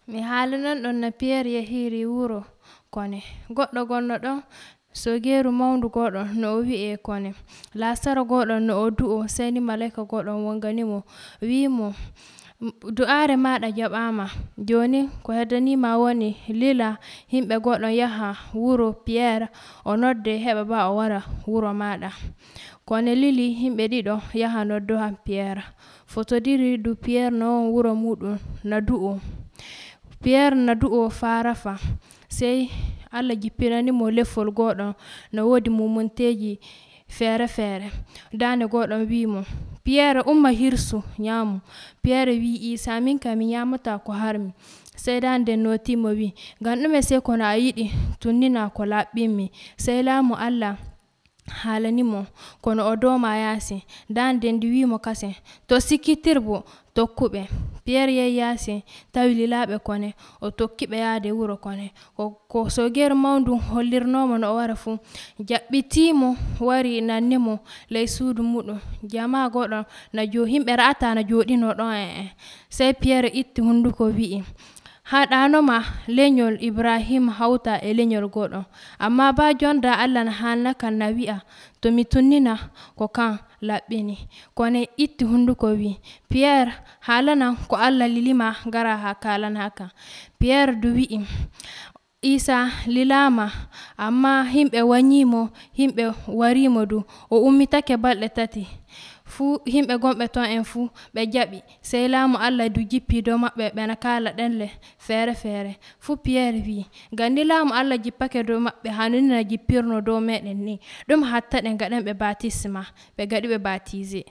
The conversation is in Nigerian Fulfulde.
mi haalanan ɗon no Pierre yahiri wuro kone. Goɗɗo gonno ɗon Sogeru mawndu goɗon no o wi'e kone. Lasaro goɗon no o du'o sey ni malaika goɗon wonganimo wimo du'are maɗa jaɓama, joni ko heddanima woni lila himɓe goɗon yaha wuro Pierre o nodde heɓa ba o wara wuro maɗa. Kone lili himɓe ɗiɗo yaha noddoha Pierre fotodiri du Pierre non wuro muɗum na du'o. Pierre na du'o farafa sey Allah jippinanimo leffol goɗon no wodi mumunteji fere fere. Dande goɗon wimo Pierre umma hirsu nyamu. Pierre wi Isa minkam mi nyamata ko harmi. Sey dande notimo wi ngam ɗume sey kono a yiɗi tunnina ko laɓɓinmi. Sey laamu Allah haalanimo kono o doma yasi. Dande ndi wimo kase to sikkitirbo tokkuɓe. Pierre yehi yasi tawi lilaɓe kone o tokkiɓe yaade wuro kone. Ko Sogeru mawndu hollirnomo no o wara fu jaɓɓitimo wari nannimo ley suudu muɗum. Jama goɗon himɓe ra'ata na joɗino ɗon sey Pierre itti hunduko wi'i haɗanoma lenyol Ibrahim hauta e lenyol goɗon, amma ba jonda Allah na hannakam na wi'a to mi tunnina ko kan laɓɓini. Kone itti hunduko wi Pierre halanan ko Allah lilima ngara ha kalana kam. Pierre du wi'i Isa lilama amma himɓe wanyimo himɓe warimo du o ummitake balɗe 3 fu himɓe gonɓe ton en fu ɓe jaɓi. Sey laamu Allah du jippi dow maɓɓe ɓena kala ɗenle fere fere fu Pierre wi ngam ni laamu Allah jippake dow maɓɓe hanunina jippirno dow meɗen ni ɗum hatta ɗe gaɗanɓe baptisma ɓe gaɗiɓe baptisé.